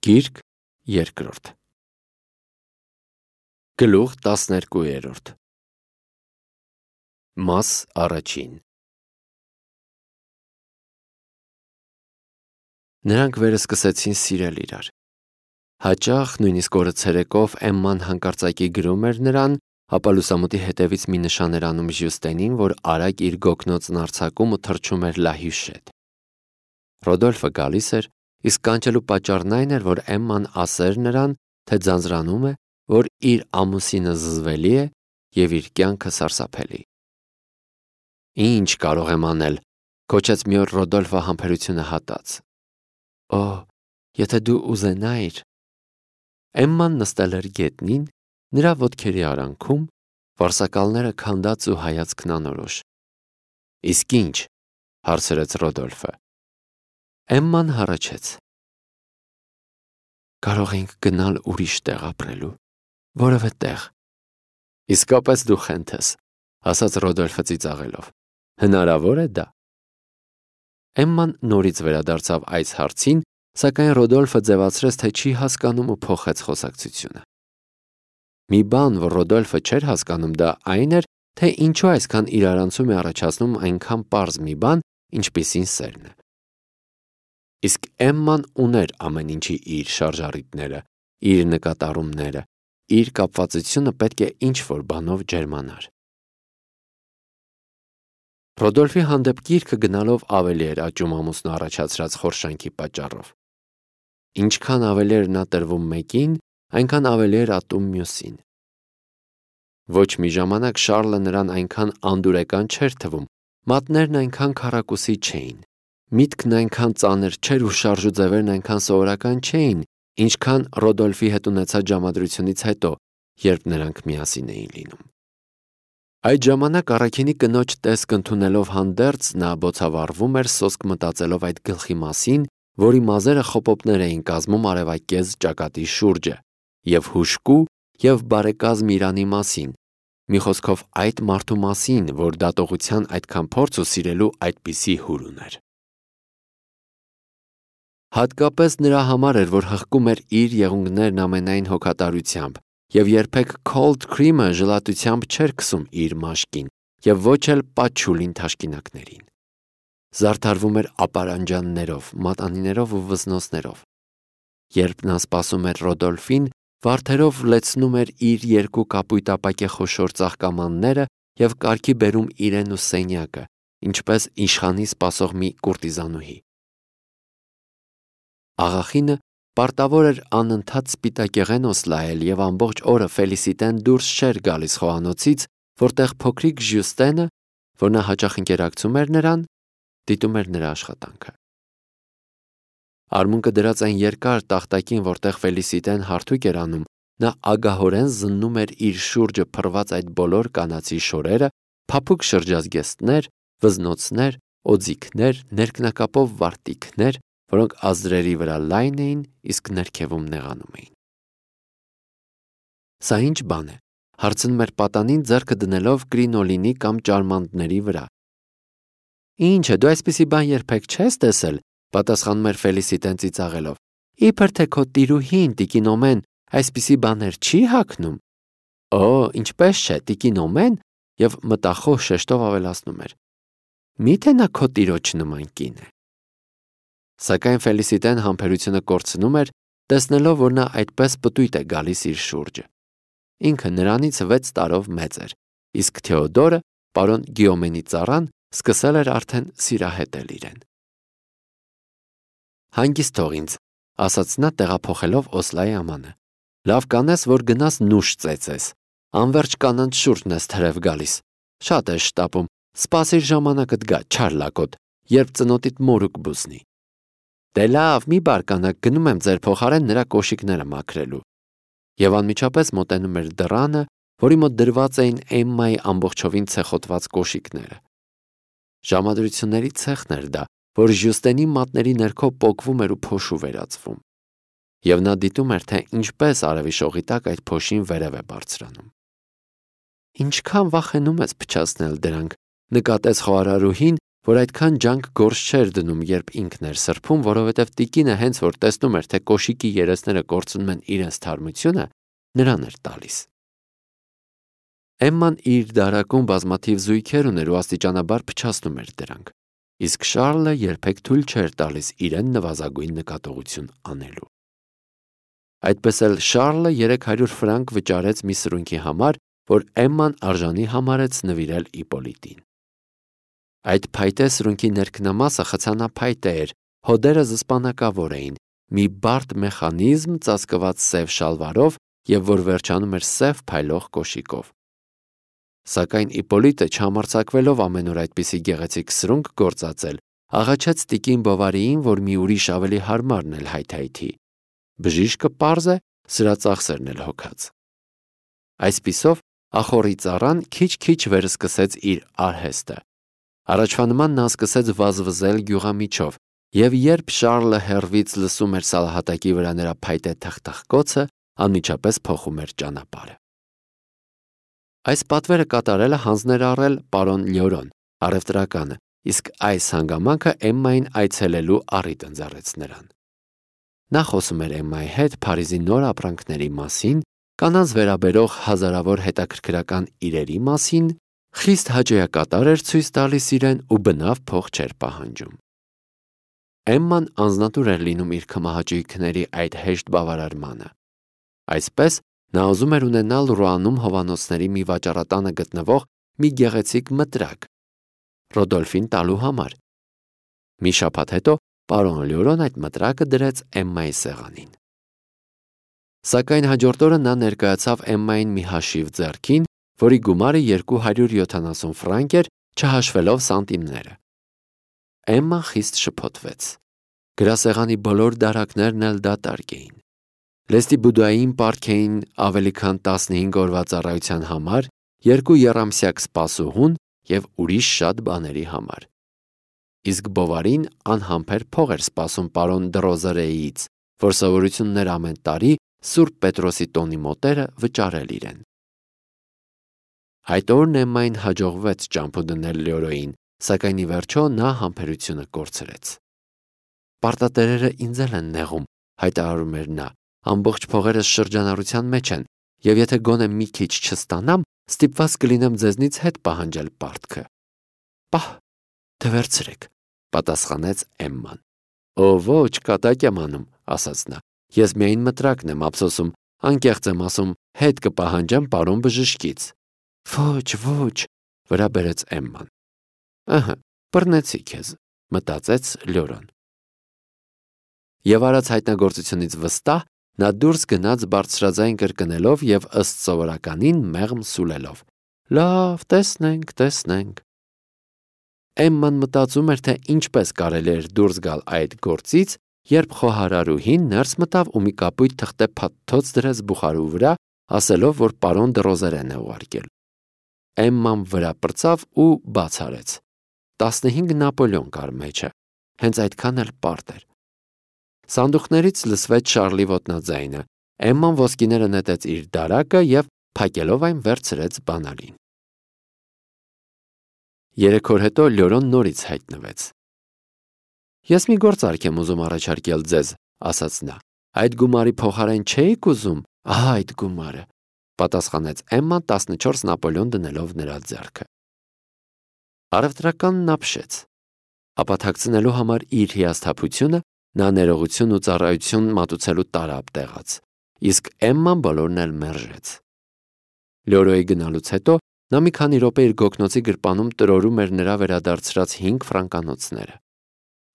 Գիրք երկրորդ Գլուխ 12 Մաս առաջին Նրանք վերսկսեցին սիրել իրար։ Հաճախ, նույնիսկ օրը ցերեկով Էմման հանկարծակի գրում էր նրան, ապա լուսամուտի հետևից մի նշան էր անում Ժյուստենին, որ արագ իր գոգնոցն արձակում ու թռչում էր Լահյուշ հետ։ Ռոդոլֆը գալիս էր, իսկ կանչելու պատճառն այն էր, որ Էմման ասեր նրան, թե ձանձրանում է, որ իր ամուսինը զզվելի է և իր կյանքը սարսափելի։ Ինչ կարող եմ անել, գոչեց մի օր Ռոդոլֆը համբերությունը հատած։ Օ, եթե դու ուզենայիր։ Էմման նստել էր գետնին, նրա ոտքերի արանքում, վարսակալները քանդած ու հայացքն անորոշ։ Իսկ ինչ, հարցրեց Ռոդոլֆը։ Էմման հառաչեց։ Կարող ենք գնալ ուրիշ տեղ ապրելու, որևէ տեղ։ Իսկապես դու խենթ ես, ասաց Ռոդոլֆը ծիծաղելով։ Հնարավոր է դա։ Էմման նորից վերադարձավ այս հարցին, սակայն Ռոդոլֆը ձևացրեց, թե չի հասկանում ու փոխեց խոսակցությունը։ Մի բան, որ Ռոդոլֆը չէր հասկանում, դա այն էր, թե ինչու այսքան իրարանցում է առաջացնում այնքան պարզ մի բան, ինչպիսին սերն է։ Իսկ Էմման ուներ ամեն ինչի իր շարժառիթները, իր նկատառումները, իր կապվածությունը պետք է ինչ-որ բանով ջերմանար։ Ռոդոլֆի հանդեպ գիրքը գնալով ավելի էր աճում ամուսնու առաջացրած խորշանքի պատճառով։ Ինչքան ավելի էր նա տրվում մեկին, այնքան ավելի էր ատում մյուսին։ Ոչ մի ժամանակ Շառլը նրան այնքան անդուրեկան չէր թվում, մատներն այնքան քառակուսի չէին, միտքն այնքան ծանր չէր ու շարժուձևերն այնքան սովորական չէին, ինչքան Ռոդոլֆի հետ ունեցած ժամադրությունից հետո, երբ նրանք միասին էին լինում։ Այդ ժամանակ առաքինի կնոջ տեսք ընդունելով հանդերձ նա բոցավառվում էր սոսկ մտածելով այդ գլխի մասին, որի մազերը խոպոպներ էին կազմում արևակեզ ճակատի շուրջը, և հուժկու և բարեկազմ Իրանի մասին, մի խոսքով այդ մարդու մասին, որ դատողության այդքան փորձ ու սիրելու այդպիսի հուր ուներ։ Հատկապես նրա համար էր, որ հղկում էր իր եղունգներն ամենայն հոգատարությամբ և երբեք cold cream-ը ժլատությամբ չէր քսում իր մաշկին և ոչ էլ պատչուլին թաշկինակներին։ Զարդարվում էր ապարանջաններով, մատանիներով ու վզնոցներով։ Երբ նա սպասում էր Ռոդոլֆին, վարդերով լեցնում էր իր երկու կապույտ ապակե խոշոր ծաղկամանները և կարգի բերում իրեն ու սենյակը, ինչպես իշխանի սպասող մի կուրտիզանուհի։ Աղախինը պարտավոր էր անընդհատ սպիտակեղենոս լայել և ամբողջ օրը Ֆելիսիտեն դուրս չէր գալիս խոհանոցից, որտեղ փոքրիկ Ժյուստենը, որ նա հաճախ ընկերակցում էր նրան, դիտում էր նրա աշխատանքը։ Արմունկը դրած այն երկար տախտակին, որտեղ Ֆելիսիտեն հարթուկ էր անում, նա ագահորեն զննում էր իր շուրջը փռված այդ բոլոր կանացի շորերը, փափուկ շրջազգեստներ, վզնոցներ, օձիքներ, ներքնակապով վարտիքներ, որոնք ազդրերի վրա լայն էին, իսկ ներքևում նեղանում էին։ Սա ինչ բան է, հարցնում էր պատանին ձեռքը դնելով կրինոլինի կամ ճարմանդների վրա։ Ինչ է, դու այսպիսի բան երբեք չես տեսել, պատասխանում էր Ֆելիսիտեն ծիծաղելով։ Իբր թե քո տիրուհին, տիկին Օմեն, այսպիսի բաներ չի հագնում։ Օ, ինչպես չէ, տիկին Օմեն, և մտախոհ շեշտով ավելացնում էր։ Միթե նա քո տիրոջ նման կին է։ Սակայն Ֆելիսիտեն համբերությունը կորցնում էր, տեսնելով, որ նա այդպես պտույտ է գալիս իր շուրջը։ Ինքը նրանից 6 տարով մեծ էր, իսկ Թեոդորը, պարոն Գիոմենի ծառան, սկսել էր արդեն սիրահետել իրեն։ Հանգիստ թող ինձ, ասաց նա տեղափոխելով Օսլայի ամանը։ Լավ կանես, որ գնաս նուշ ծեծես, անվերջ կանանց շուրջն ես թրև գալիս։ Շատ ես շտապում, սպասիր ժամանակդ գա, չար լակոտ, երբ ծնոտիդ մորուք բուսնի։ Դե լավ, մի բարկանաք, գնում եմ ձեր փոխարեն նրա կոշիկները մաքրելու։ Եվ անմիջապես մոտենում էր դռանը, որի մոտ դրված էին Էմմայի ամբողջովին ցեխոտված կոշիկները։ Ժամադրությունների ցեխն էր դա, որ Ժյուստենի մատների ներքո պոկվում էր ու փոշու վերածվում։ Եվ նա դիտում էր, թե ինչպես արևի շողի տակ այդ փոշին վերև է բարձրանում։ Ինչքան վախենում ես փչացնել դրանք, նկատեց խոհարարուհին, որ այդքան ջանք գործ չէր դնում, երբ ինքն էր սրբում, որովհետև տիկինը հենց որ տեսնում էր, թե կոշիկի երեսները կորցնում են իրենց թարմությունը, նրան էր տալիս։ Էմման իր դարակում բազմաթիվ զույգեր ուներ ու աստիճանաբար փչացնում էր դրանք, իսկ Շարլը երբեք թույլ չէր տալիս իրեն նվազագույն նկատողություն անելու։ Այդպես էլ Շարլը 300 ֆրանկ վճարեց մի սրունքի համար, որ Էմման արժանի համարեց նվիրել Իպոլիտին։ Այդ փայտե սրունքի ներքնամասը խցանափայտե էր, հոդերը զսպանակավոր էին, մի բարդ մեխանիզմ ծածկված սև շալվարով և որ վերջանում էր սև փայլող կոշիկով։ Սակայն Իպոլիտը չհամարձակվելով ամենուր այդպիսի գեղեցիկ սրունք գործածել, աղաչեց տիկին Բովարիին, որ մի ուրիշ ավելի հարմարն էլ հայթայթի։ Բժիշկը պարզ է, սրա ծախսերն էլ հոգած։ Այսպիսով ախոռի ծառան քիչ-քիչ վերսկսեց իր արհեստը։ Առաջվա նման նա սկսեց վազվզել գյուղամիջով, և երբ Շարլը հեռվից լսում էր սալահատակի վրա նրա փայտե թխթխկոցը, անմիջապես փոխում էր ճանապարհը։ Այս պատվերը կատարելը հանձն էր առել պարոն Լյորոն, առևտրականը, իսկ այս հանգամանքը Էմմային այցելելու առիթ ընձեռեց նրան։ Նա խոսում էր Էմմայի հետ Փարիզի նոր ապրանքների մասին, կանանց վերաբերող հազարավոր հետաքրքրական իրերի մասին, խիստ հաճոյակատար էր ցույց տալիս իրեն ու բնավ փող չէր պահանջում։ Էմման անձնատուր էր լինում իր քմահաճույքների այդ հեշտ բավարարմանը։ Այսպես նա ուզում էր ունենալ Ռուանում հովանոցների մի վաճառատանը գտնվող մի գեղեցիկ մտրակ Ռոդոլֆին տալու համար։ Մի շաբաթ հետո պարոն Լյորոն այդ մտրակը դրեց Էմմայի սեղանին։ Սակայն հաջորդ օրը նա ներկայացավ Էմմային մի հաշիվ ձեռքին, որի գումարը 270 ֆրանկ էր, չհաշվելով սանտիմները։ Էմման խիստ շփոթվեց։ Գրասեղանի բոլոր դարակներն էլ դատարկ էին։ Լեստի բուդային պարկ էին ավելի քան 15 օրվա ծառայության համար, 2 եռամսյակ սպասուհուն և ուրիշ շատ բաների համար։ Իսկ Բովարին անհամբեր փող էր սպասում պարոն Դրոզերեից, որ սովորությունն էր ամեն տարի Սուրբ Պետրոսի տոնի մոտերը վճարել իրեն։ Այդ օրն Էմմային հաջողվեց ճամփու դնել Լյորոյին, սակայն ի վերջո նա համբերությունը կորցրեց։ Պարտատերերը ինձ էլ են նեղում, հայտարարում էր նա, ամբողջ փողերս շրջանառության մեջ են, և եթե գոնե մի քիչ չստանամ, ստիպված կլինեմ ձեզնից հետ պահանջել պարտքը։ Պահ, թե վերցրեք, պատասխանեց Էմման։ Օ, ոչ, կատակ եմ անում, ասաց նա, ես միայն մտրակն եմ ափսոսում, անկեղծ եմ ասում, հետ կպահանջեմ պարոն բժշկից։ Ոչ, վրա բերեց Էմման։ Ըհը, բռնեցի քեզ, մտածեց Լյորոն։ Եվ արած հայտնագործությունից վստահ նա դուրս գնաց բարձրաձայն կրկնելով և ըստ սովորականին մեղմ սուլելով. Լավ, տեսնենք։ Էմման մտածում էր, թե ինչպես կարելի էր դուրս գալ այդ գործից, երբ խոհարարուհին ներս մտավ ու մի կապույտ թղթե փաթթոց դրեց բուխարու վրա, ասելով, որ պարոն Դրոզերեն է ուղարկել։ Էմման վրա պրծավ ու բաց արեց։ 15 Նապոլեոն կար մեջը, հենց այդքան էլ պարտ էր։ Սանդուղքներից լսվեց Շարլի ոտնաձայնը, Էմման ոսկիները նետեց իր դարակը և փակելով այն վերցրեց բանալին։ 3 օր հետո Լյորոն նորից հայտնվեց։ Ես մի գործարք եմ ուզում առաջարկել ձեզ, ասաց նա։ Այդ գումարի փոխարեն չէիք ուզում, ահա այդ գումարը, պատասխանեց Էմման 14 Նապոլեոն դնելով նրա ձեռքը։ Առևտրականն ապշեց։ Ապա թաքցնելու համար իր հիասթափությունը նա ներողություն ու ծառայություն մատուցելու տարապ տեղաց, իսկ Էմման բոլորն էլ մերժեց։ Լյորոյի գնալուց հետո նա մի քանի րոպե իր գոգնոցի գրպանում տրորում էր նրա վերադարձրած 5 ֆրանկանոցները,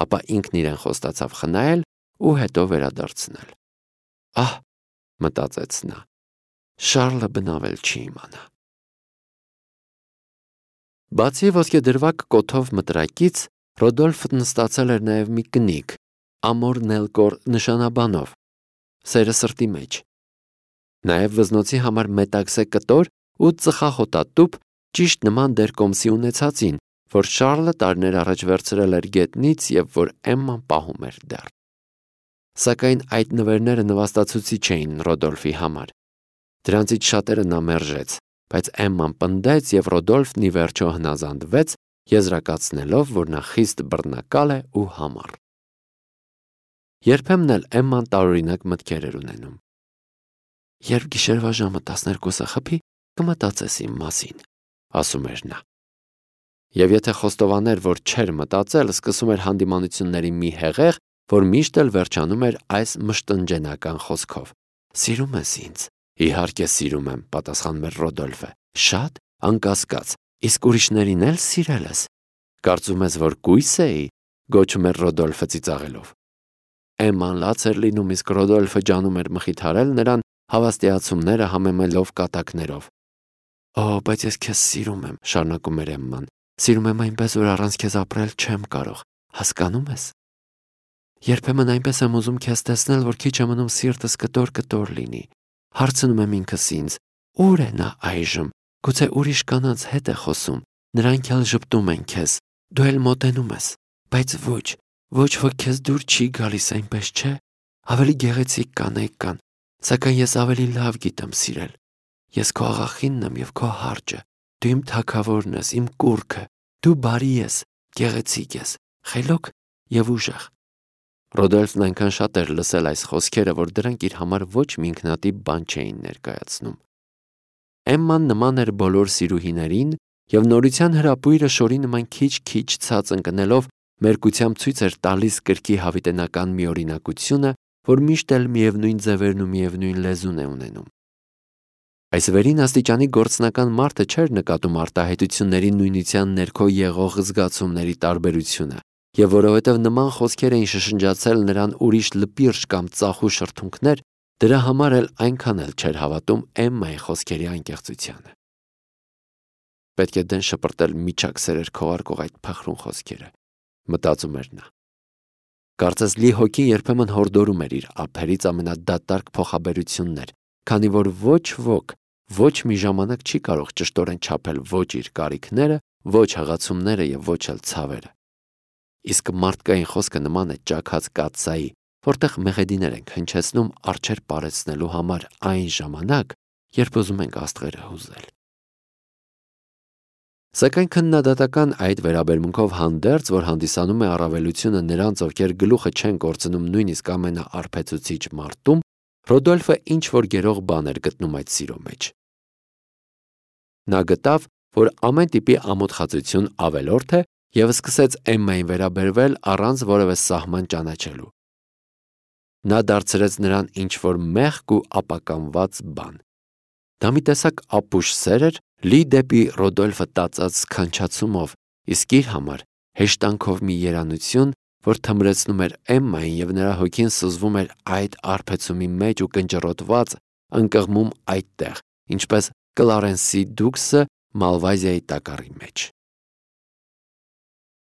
ապա ինքն իրեն խոստացավ խնայել ու հետո վերադարձնել։ Ահ, մտածեց նա, Շարլը բնավել չի իմանա։ Բացի ոսկեդրվակ կոթով մտրակից, Ռոդոլֆը նստացել էր նաև մի կնիկ, Ամոր Նելկոր նշանաբանով, սերը սրտի մեջ։ Նաև վզնոցի համար մետաքսե կտոր ու ծխախոտատուփ ճիշտ նման դերկոմսի ունեցածին, որ Շարլը տարիներ առաջ վերցրել էր գետնից և որ Էմման պահում էր դեռ։ Սակայն այդ նվերները նվաստացուցիչ չէին Ռոդոլֆի համար։ Դրանցից շատերը նա մերժեց, բայց Էմման պնդեց և Ռոդոլֆն ի վերջո հնազանդվեց, եզրակացնելով, որ նա խիստ բռնակալ է ու համառ։ Երբեմն էլ Էմման տարօրինակ մտքեր էր ունենում։ «Երբ գիշերվա ժամը 12-ը խփի, կմտածես իմ մասին», ասում էր նա։ Եվ եթե խոստովաներ, որ չէր մտածել, սկսում էր հանդիմանությունների մի հեղեղ, որ միշտ էլ վերջանում էր այս մշտնջենական խոսքով. «Սիրում ես ինձ»։ «Իհարկե սիրում եմ», պատասխանում էր Ռոդոլֆը։ «Շատ, անկասկած, իսկ ուրիշներին էլ սիրել ես»։ «Կարծում ես, որ կույս էի», գոչում էր Ռոդոլֆը ծիծաղելով։ Էմման լաց էր լինում, իսկ Ռոդոլֆը ջանում էր մխիթարել նրան, հավաստիացումները համեմելով կատակներով։ «Օ, բայց ես քեզ սիրում եմ», շարունակում էր Էմման։ «Սիրում եմ այնպես, որ առանց քեզ ապրել չեմ կարող, հասկանում ես։ Երբեմն այնպես եմ ուզում քեզ տեսնել, որ քիչ է մնում սիրտս կտոր լինի։ Հարցնում եմ ինքս ինձ. ուր է նա այժմ։ Գուցե ուրիշ կանանց հետ է խոսում, նրանք էլ ժպտում են քեզ, դու էլ մոտենում ես, բայց ոչ ոք քեզ դուր չի գալիս, այնպես չէ։ Ավելի գեղեցիկ կանայք կան, սակայն ես ավելի լավ գիտեմ սիրել։ Ես քո աղախինն եմ և քո հարճը, դու իմ թագավորն ես, իմ կուռքը, դու բարի ես, գեղեցիկ ես, խելոք և ուժեղ»։ Ռոդոլֆն այնքան շատ էր լսել այս խոսքերը, որ դրանք իր համար ոչ մի ինքնատիպ բան չէին ներկայացնում։ Էմման նման էր բոլոր սիրուհիներին, և նորության հրապույրը շորի նման քիչ-քիչ ցած ընկնելով մերկությամբ ցույց էր տալիս կրքի հավիտենական մի օրինակությունը, որ միշտ էլ միևնույն ձևերն ու միևնույն լեզուն է ունենում։ Այս վերին աստիճանի գործնական մարդը չէր նկատում արտահայտությունների նույնության ներքո եղող զգացումների տարբերությունը, և որովհետև նման խոսքեր էին շշնջացել նրան ուրիշ լպիրշ կամ ծախու շրթունքներ, դրա համար էլ այնքան էլ չէր հավատում Էմմայի խոսքերի անկեղծությանը։ Պետք է դեն շպրտել միջակ սերեր քողարկող այդ փխրուն խոսքերը, մտածում էր նա։ Կարծես լի հոգին երբեմն հորդորում էր իր ափերից ամենադատարկ փոխաբերություններ, քանի որ ոչ ոք ոչ մի ժամանակ չի կարող ճշտորեն չափել ոչ իր կարիքները, ոչ հղացումները և ոչ էլ ցավերը։ Իսկ մարդկային խոսքը նման է ճաքած կաթսայի, որտեղ մեղեդիներ ենք հնչեցնում արջեր պարեցնելու համար այն ժամանակ, երբ ուզում ենք աստղերը հուզել։ Սակայն քննադատական այդ վերաբերմունքով հանդերձ, որ հանդիսանում է առավելությունը նրանց, ովքեր գլուխը չեն կորցնում նույնիսկ ամենաարբեցուցիչ մարդում, Ռոդոլֆը ինչ-որ գերող բան էր գտնում այդ սիրո մեջ։ Նա գտավ, որ ամեն տիպի ամոթխածություն ավելորդ է և սկսեց Էմմային վերաբերվել առանց որևէ սահման ճանաչելու։ Նա դարձրեց նրան ինչ-որ մեղք ու ապականված բան։ Դա մի տեսակ ապուշ սեր էր, լի դեպի Ռոդոլֆը տածած սքանչացումով, իսկ իր համար հեշտանքով մի երանություն, որ թմրեցնում էր Էմմային և նրա հոգին սուզվում էր այդ արբեցումի մեջ ու կնճռոտված ընկղմում այդտեղ, ինչպես Կլարենսի դուքսը Մալվազիայի տակառի մեջ։